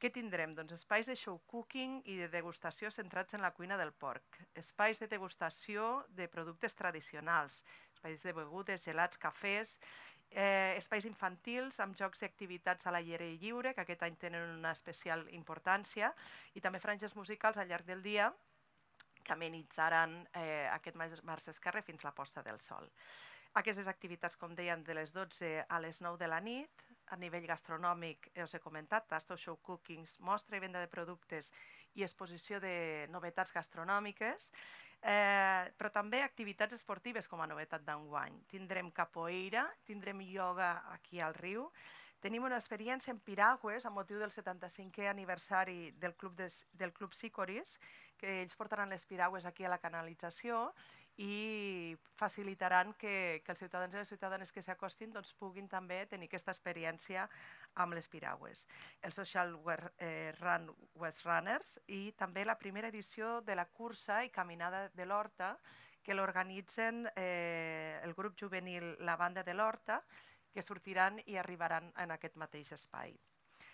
Què tindrem? Doncs espais de show cooking i de degustació centrats en la cuina del porc, espais de degustació de productes tradicionals, espais de begudes, gelats, cafès, espais infantils amb jocs i activitats a l'aire lliure, que aquest any tenen una especial importància, i també franges musicals al llarg del dia que amenitzaran aquest marge esquerre fins la posta del sol. Aquestes activitats, com dèiem, de les 12 a les 9 de la nit. A nivell gastronòmic, us he comentat, tastos, show cookings, mostra i venda de productes i exposició de novetats gastronòmiques, però també activitats esportives com a novetat d'enguany. Tindrem capoeira, tindrem ioga aquí al riu, tenim una experiència en piragües amb motiu del 75è aniversari del Club Sicoris, que ells portaran les piragües aquí a la canalització i facilitaran que els ciutadans i les ciutadanes que s'acostin doncs, puguin també tenir aquesta experiència amb les piragües. El Social Run West Runners i també la primera edició de la cursa i caminada de l'Horta que l'organitzen el grup juvenil La Banda de l'Horta, que sortiran i arribaran en aquest mateix espai.